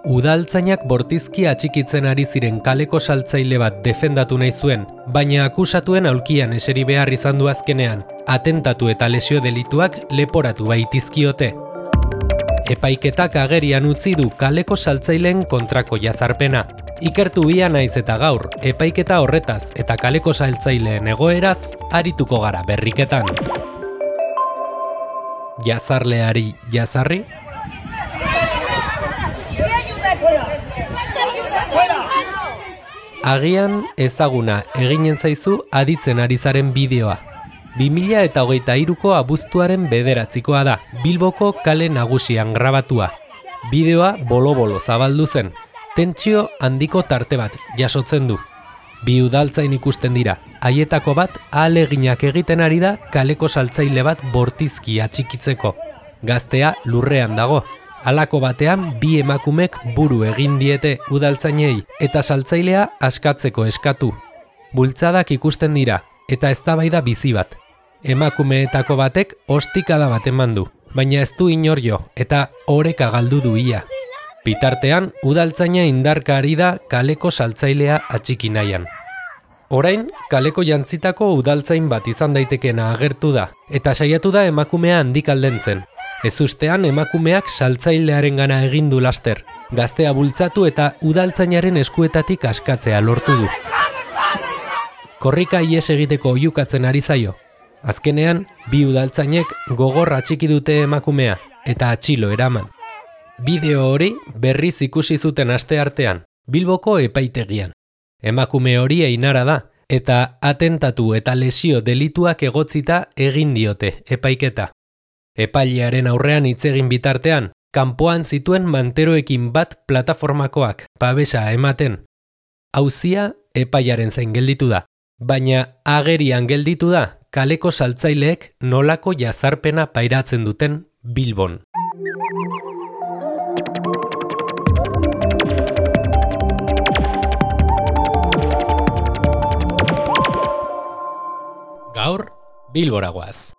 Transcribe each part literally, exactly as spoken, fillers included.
Udaltzainak bortizki atxikitzen ari ziren kaleko saltzaile bat defendatu nahi zuen, baina akusatuen aulkian eseri behar izan du azkenean, atentatu eta lesio delituak leporatu baitizkiote. Epaiketak agerian utzi du kaleko saltzaileen kontrako jazarpena. Ikertu bia naiz eta gaur, epaiketa horretaz eta kaleko saltzaileen egoeraz arituko gara berriketan. Jazarleari jazarri? Agian ezaguna eginen zaizu aditzen ari zaren bideoa. bi mila hogeita hiruko abuztuaren bederatzikoa da, Bilboko kale nagusian grabatua. Bideoa bolo-bolo zabaldu zen, tentsio handiko tarte bat jasotzen du. Bi udaltzain ikusten dira, haietako bat ahaleginak egiten ari da kaleko saltzaile bat bortizki atxikitzeko. Gaztea lurrean dago. Halako batean bi emakumek buru egin diete udaltzainei eta saltzailea askatzeko eskatu. Bultzadak ikusten dira eta eztabaida bizi bat. Emakumeetako batek ostikada bat eman du, baina ez du inor jo eta oreka galdu du ia. Bitartean udaltzaina indarka ari da kaleko saltzailea atxiki nahian. Orain, kaleko jantzitako udaltzain bat izan daitekeena agertu da eta saiatu da emakumea handik aldentzen. Ez ustean emakumeak saltzailearen gana egin du laster, gaztea bultzatu eta udaltzainaren eskuetatik askatzea lortu du. Korrika ihes egiteko oihukatzen ari zaio. Azkenean, bi udaltzainek gogor atxiki dute emakumea eta atxilo eraman. Bideo hori berriz ikusi zuten asteartean, Bilboko epaitegian. Emakume hori Einara da eta atentatu eta lesio delituak egotzita egin diote epaiketa. Epailearen aurrean hitz egin bitartean, kanpoan zituen manteroekin bat plataformakoak babesa ematen. Auzia epaiaren zain gelditu da, baina agerian gelditu da kaleko saltzaileek nolako jazarpena pairatzen duten Bilbon. Gaur, Bilbora goaz.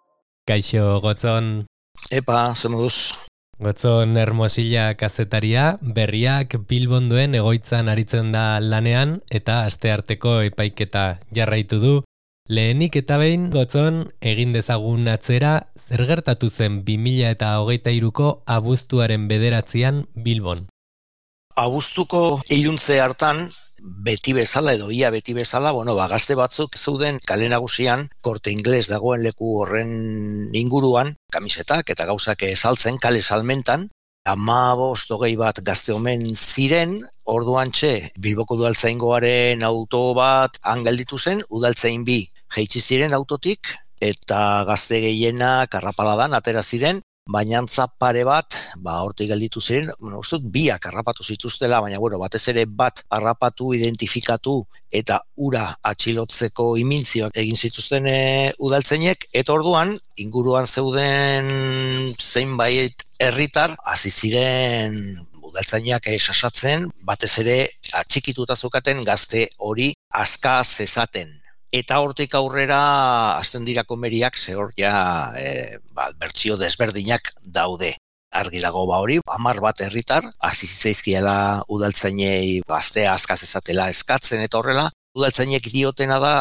Kaixo, Gotzon. Epa, ze moduz. Gotzon Hermosilla kazetaria, berriak Bilbon duen egoitzan aritzen da lanean eta astearteko epaiketa jarraitu du. Lehenik eta behin, Gotzon, egin dezagun atzera, zer gertatu zen bi mila hogeita hiruko abuztuaren bederatzian Bilbon. Abuztuko iluntze hartan, beti bezala edo ia beti bezala, bueno, ba, gazte batzuk zeuden kale nagusian, Korte Ingles dagoen leku horren inguruan, kamisetak eta gauzak saltzen kale salmentan, hamabost hogei bat gazte omen ziren, orduantxe Bilboko udaltzaingoaren auto bat han gelditu zen, udaltzain bi jaitsi ziren autotik, eta gazte gehienak arrapaladan atera ziren, baina antza pare bat, ba, hortik gelditu ziren, bueno, uste dut biak harrapatu zituztela, baina bueno, batez ere bat harrapatu, identifikatu eta ura atxilotzeko imintzioak egin zituzten e, udaltzainek, eta orduan, inguruan zeuden zeinbait herritar, hasi ziren udaltzainak sasatzen, batez ere atxikituta zukaten gazte hori aska zezaten. Eta hortik aurrera hasten dira komeriak, ze hor ja e, ba, bertsio desberdinak daude. Argi dago ba hori, hamar bat herritar, hasi zitzaizkiela udaltzainei gaztea askaz ezatela eskatzen eta horrela. Udaltzainek diotena da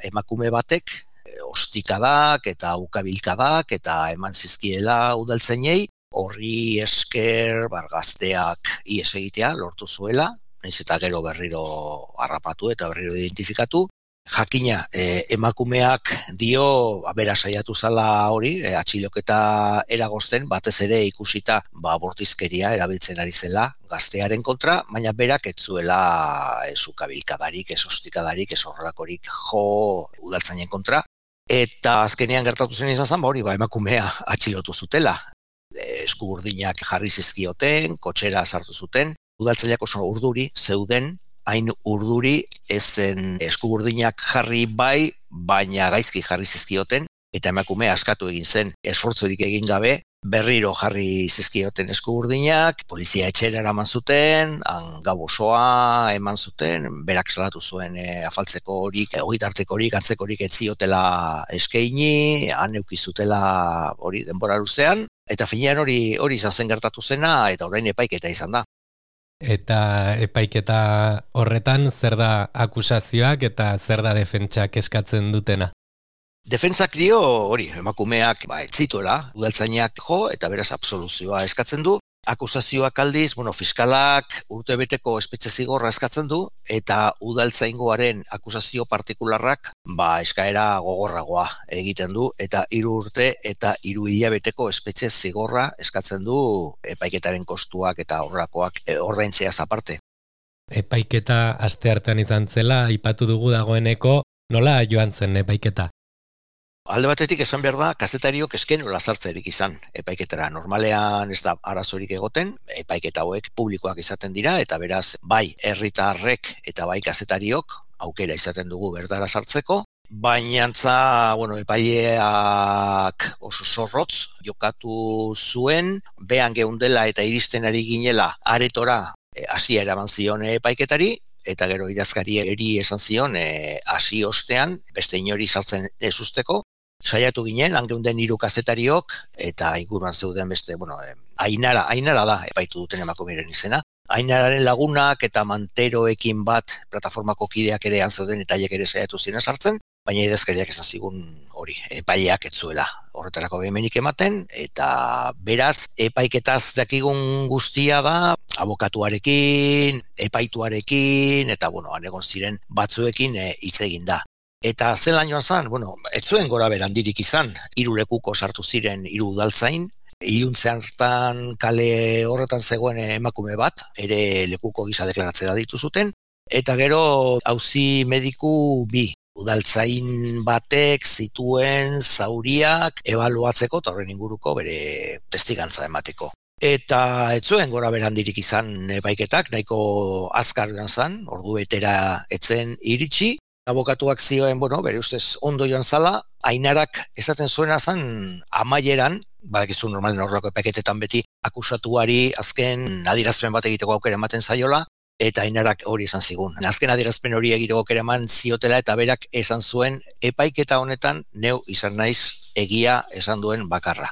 emakume batek, e, ostikadak eta ukabilkadak eta eman zizkiela udaltzainei, horri esker bar, gazteak ihes egitea lortu zuela, nahiz eta gero berriro harrapatu eta berriro identifikatu. Jakina, eh, emakumeak dio, bera saiatu zala hori, eh, atxiloketa eragozten, batez ere ikusita ba, bortizkeria erabiltzen ari zela gaztearen kontra, baina berak ez zuela ez ukabilkadarik, ez ostikadarik, ez horrelakorik jo udaltzainen kontra. Eta azkenean gertatu zen izan zen, ba, hori ba, emakumea atxilotu zutela. Eh, eskuburdinak jarri zizkioten, kotxera sartu zuten, udaltzaileak oso urduri zeuden, hain urduri ezen eskuburdinak jarri bai, baina gaizki jarri zizkioten, eta emakume askatu egin zen, esfortzurik egin gabe, berriro jarri zizkioten eskuburdinak, polizia etxera eraman zuten, han gau osoa eman zuten, berak salatu zuen e, afaltzeko horik, e, ogitarteko horik, antzeko horik ez ziotela eskaini, han eukizutela hori denbora luzean, eta finean hori hori izan zen gertatu zena, eta orain epaiketa izan da. Eta epaiketa horretan zer da akusazioak eta zer da defentsak eskatzen dutena? Defentsak dio, hori, emakumeak ba, ez zituela, udaltzainak jo eta beraz absoluzioa eskatzen du. Akusazioak aldiz, bueno, fiskalak urtebeteko espetxe zigorra eskatzen du eta udaltzaingoaren akusazio partikularrak ba eskaera gogorragoa egiten du eta hiru urte eta hiru hilabeteko espetxe zigorra eskatzen du epaiketaren kostuak eta horrakoak e, ordaintzeaz aparte. Epaiketa asteartean izan zela aipatu dugu dagoeneko, nola joan zen epaiketa? Alde batetik esan behar da, kazetariok eskenula sartzerik izan epaiketara. Normalean ez da arazorik egoten, epaiketa hauek publikoak izaten dira, eta beraz, bai herritarrek eta bai kazetariok aukera izaten dugu berdara sartzeko, baina antza, bueno, epaileak oso zorrotz jokatu zuen, behan geundela eta iristen ari ginela aretora hasia eraman zion epaiketari, eta gero idazkari eri esan zion hasi ostean, beste inori sartzen ez usteko, saiatu ginen, langeunden hiru kazetariok, eta inguruan zeuden beste, bueno, eh, Ainara, Ainara da, epaitu duten emakumeren izena. Ainararen lagunak eta manteroekin bat plataformako kideak ere zeuden eta haiek ere saiatu ziren sartzen, baina idazkariak esan zigun hori, epaileak ez zuela horretarako behemenik ematen, eta beraz, epaiketaz dakigun guztia da, abokatuarekin, epaituarekin, eta bueno, egon ziren batzuekin hitz e, egin da. Eta zelan joan zen, bueno, ez zuen gora berandirik izan, hiru lekuko sartu ziren hiru udaltzain, iluntzean hartan kale horretan zegoen emakume bat, ere lekuko gisa deklaratzea ditu zuten, eta gero auzi mediku bi, udaltzain batek zituen zauriak ebaluatzeko eta horren inguruko bere testigantza emateko. Eta ez zuen gora berandirik izan epaiketak, nahiko azkar joan zen, ordu betera etzen iritsi, abokatuak zioen, bueno, bere ustez ondo joan zala, Ainarak esaten zuena zen amaieran, badakizu normalen horrelako epaiketetan beti, akusatuari azken adierazpen bat egiteko aukera ematen zaiola, eta Ainarak hori esan zigun. Azken adierazpen hori egiteko aukera eman ziotela eta berak esan zuen epaiketa honetan neu izan naiz egia esan duen bakarra.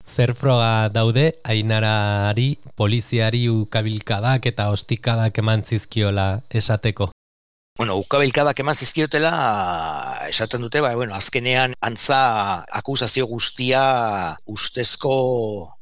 Zer froga daude Ainarari poliziari ukabilkadak eta ostikadak eman zizkiola esateko? Bueno, ukabilkadak eman zizkiotela esaten dute, ba, bueno, azkenean antza akusazio guztia ustezko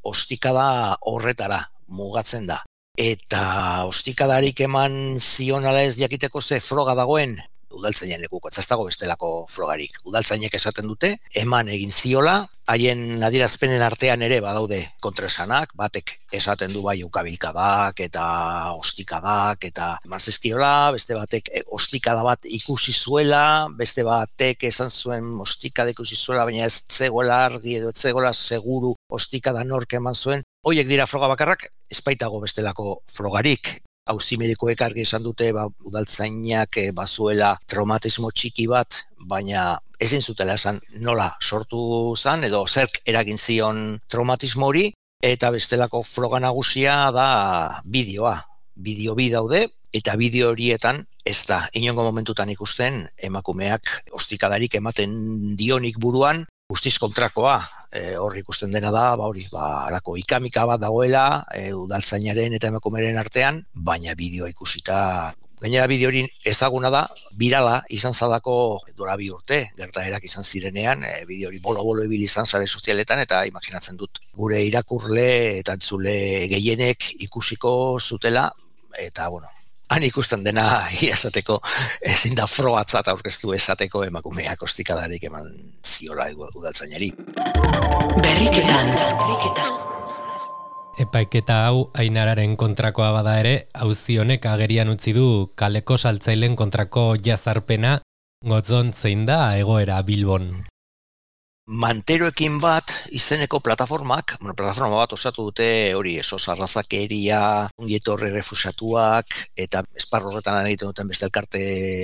ostikada horretara mugatzen da. Eta ostikadarik eman zion ala ez jakiteko ze froga dagoen, udaltzainen lekuko, ez dago bestelako frogarik. Udaltzainek esaten dute, eman egin ziola, haien adierazpenen artean ere badaude kontraesanak, batek esaten du bai ukabilkadak eta ostikadak eta eman zizkiola, beste batek ostikada bat ikusi zuela, beste batek esan zuen ostikada ikusi zuela, baina ez zegoela argi edo ez zegoela seguru ostikada nork eman zuen. Hoiek dira froga bakarrak, ez baitago bestelako frogarik. Auzi medikoek argi esan dute ba, udaltzainak e, bazuela traumatismo txiki bat, baina ezin zutela esan nola sortu zen edo zerk eragin zion traumatismo hori, eta bestelako froga nagusia da bideoa. Bideo bi daude, eta bideo horietan ez da inongo momentutan ikusten emakumeak ostikadarik ematen dionik buruan, guztiz kontrakoa. E, hor ikusten dena da, ba hori, ba alako ikamika bat dagoela, e, udaltzainaren eta emakumeren artean, baina bideoa ikusita, gainera bideo hori ezaguna da, birala izan zadako dora bi urte, gertaerak izan zirenean, e, bideo hori bolo-bolo ibili izan sare sozialetan, eta imaginatzen dut, gure irakurle eta entzule gehienek ikusiko zutela, eta bueno, han ikusten dena esateko ezin da frogatzat aurkeztu esateko emakumeak ostikadarik eman ziola udaltzainari. Berriketan. Epaiketa hau Ainararen kontrakoa bada ere, auzi honek agerian utzi du kaleko saltzaileen kontrako jazarpena, gotzon zein da egoera Bilbon. Manteroekin bat izeneko plataformak, bueno, plataforma bat osatu dute hori esos arrazakeria, ongietorri refusatuak eta esparru horretan egiten duten beste elkarte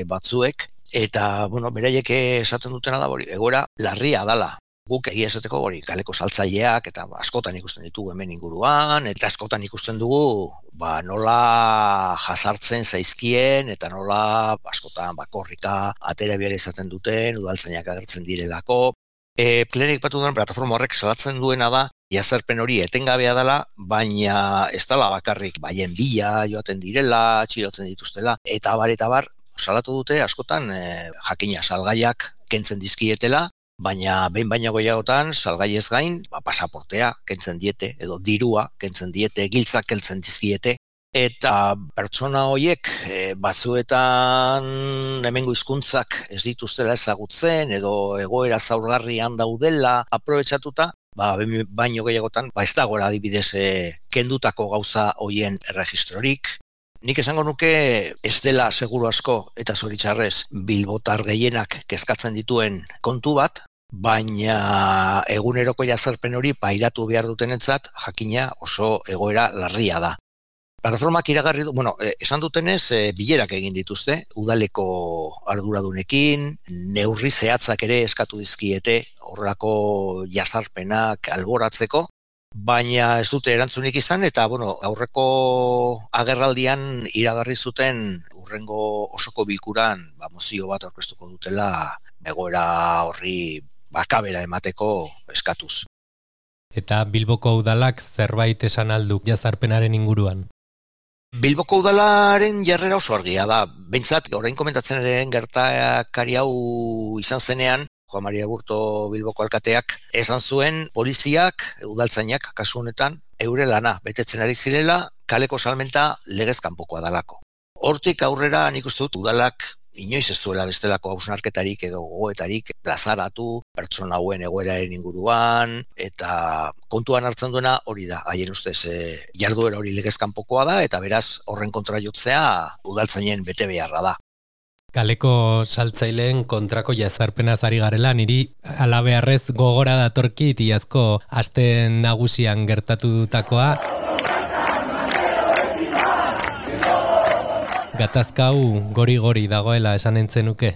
batzuek, eta bueno, beraiek esaten dutena da hori egoera larria dala. Guk egia esateko hori kaleko saltzaileak eta askotan ikusten ditugu hemen inguruan, eta askotan ikusten dugu ba, nola jazartzen zaizkien eta nola askotan bakorrika atera behar izaten duten, udaltzainak agertzen direlako. E, Plenek batu duen plataforma horrek salatzen duena da jazarpen hori etengabea dela, baina ez dela bakarrik baien bila joaten direla, txilotzen dituztela, eta bar eta bar, salatu dute askotan e, jakina salgaiak kentzen dizkietela, baina behin baino gehiagotan salgaiez gain, ba, pasaportea kentzen diete, edo dirua kentzen diete, giltzak kentzen dizkiete, eta pertsona horiek e, batzuetan hemengo hizkuntzak ez dituztela ezagutzen, edo egoera zaurgarrian daudela aprobetxatuta, ba, baino gehiagotan, ba, ez dagoela adibidez e, kendutako gauza hoien erregistrorik. Nik esango nuke ez dela seguru asko eta zoritxarrez bilbotar gehienak kezkatzen dituen kontu bat, baina eguneroko jazarpen hori pairatu behar dutenentzat jakina oso egoera larria da. Plataformak iragarri du, bueno, esan dutenez, e, bilerak egin dituzte, udaleko arduradunekin, neurri zehatzak ere eskatu dizkiete, horrelako jazarpenak alboratzeko, baina ez dute erantzunik izan, eta bueno, aurreko agerraldian iragarri zuten urrengo osoko bilkuran ba, mozio bat aurkeztuko dutela egoera horri bakabera emateko eskatuz. Eta Bilboko udalak zerbait esan alduk jazarpenaren inguruan? Bilboko udalaren jarrera oso argia da. Behintzat, orain komentatzen ere gertakari hau izan zenean, Juan Maria Burto Bilboko alkateak esan zuen poliziak, udaltzainak kasu honetan, eure lana betetzen ari zirela, kaleko salmenta legez kanpokoa dalako. Hortik aurrera nik uste dut udalak inoiz ez duela bestelako hausnarketarik edo gogoetarik plazaratu pertsona hauen egoeraren inguruan, eta kontuan hartzen duena hori da, haien ustez e, jarduera hori legez kanpokoa da, eta beraz horren kontra jotzea udaltzainen bete beharra da. Kaleko saltzaileen kontrako jazarpenaz ari garela, niri alabearrez gogora datorkit iazko aste nagusian gertatutakoa. Gatazkau gori-gori dagoela esan entzenuke.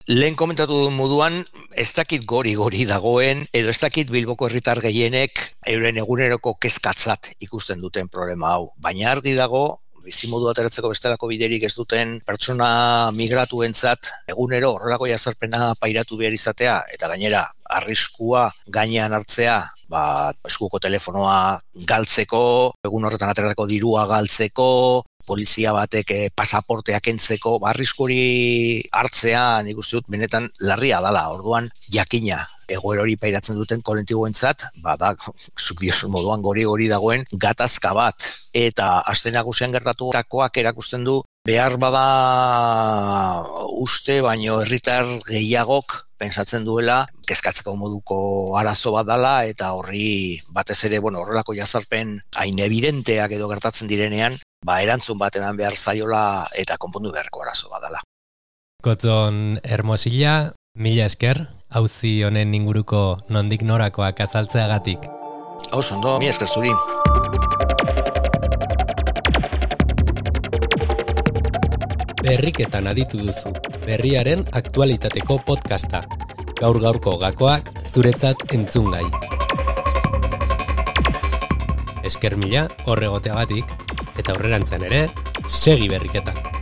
Lehen komentatu duen moduan, ez dakit gori-gori dagoen, edo ez dakit Bilboko herritar gehienek euren eguneroko kezkatzat ikusten duten problema hau. Baina argi dago, bizimodu ateratzeko bestelako biderik ez duten pertsona migratuentzat egunero horrelako jazarpena pairatu behar izatea, eta gainera arriskua gainean hartzea, ba, eskuko telefonoa galtzeko, egun horretan ateratako dirua galtzeko, polizia batek eh, pasaportea kentzeko, ba, arrisku hori hartzea nik uste dut benetan larria dala. Orduan jakina egoera hori pairatzen duten kolektiboentzat, ba da, zuk diosun moduan gori-gori dagoen gatazka bat. Eta aste nagusian gertatutakoak erakusten du behar bada uste, baino herritar gehiagok pensatzen duela kezkatzeko moduko arazo bat dala, eta horri batez ere, bueno, horrelako jazarpen hain evidenteak edo gertatzen direnean, ba erantzun bat eman behar zaiola eta konpondu beharko arazo bat dala. Gotzon Hermosilla, mila esker, auzi honen inguruko nondik norakoak azaltzeagatik. Hau ondo, mila esker zuri. Berriketan aditu duzu, berriaren aktualitateko podcasta. Gaur gaurko gakoak zuretzat entzungai. Esker mila horregoteagatik, eta aurrerantzean ere, segi berriketan.